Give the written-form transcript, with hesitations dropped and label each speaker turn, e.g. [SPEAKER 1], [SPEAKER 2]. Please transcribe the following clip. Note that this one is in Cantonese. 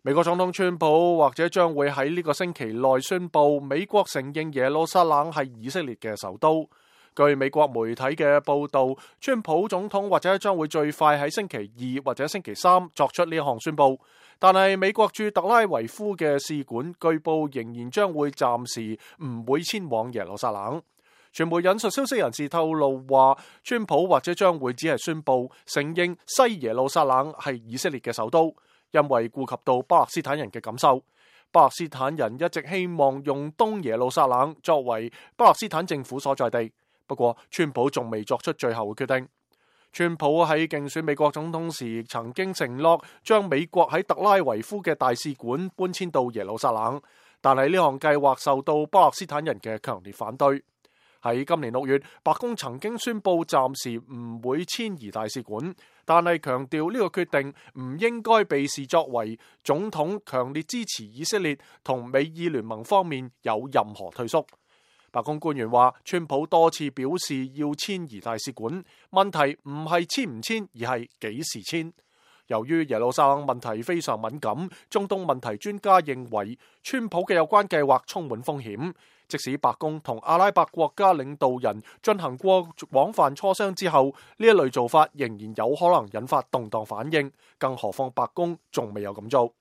[SPEAKER 1] 美國總統川普或者將會喺呢個星期內宣布，美國承認耶路撒冷係以色列嘅首都。據美國媒體嘅報道，川普總統或者將會最快喺星期二或者星期三作出呢項宣布。但係美國駐特拉維夫嘅使館據報仍然將會暫時唔會遷往耶路撒冷。傳媒引述消息人士透露話，川普或者將會只係宣布承認西耶路撒冷係以色列嘅首都。因為顧及到巴勒斯坦人嘅感受，巴勒斯坦人一直希望用東耶路撒冷作為巴勒斯坦政府所在地。不過，川普仲未作出最後嘅決定。川普喺競選美國總統時曾經承諾將美國喺特拉維夫嘅大使館搬遷到耶路撒冷，但係呢項計劃受到巴勒斯坦人嘅強烈反對。喺今年6月，白宮曾經宣布暫時唔會遷移大使館，但係強調呢個決定唔應該被視作為總統強烈支持以色列同美以聯盟方面有任何退縮。白宮官員話，川普多次表示要遷移大使館，問題唔係遷唔遷，而係幾時遷。由於耶路撒冷問題非常敏感，中東問題專家認為川普嘅有關計劃充滿風險。即使白宮同阿拉伯國家領導人進行過廣泛磋商之後，呢一類做法仍然有可能引發動盪反應，更何況白宮仲未有咁做。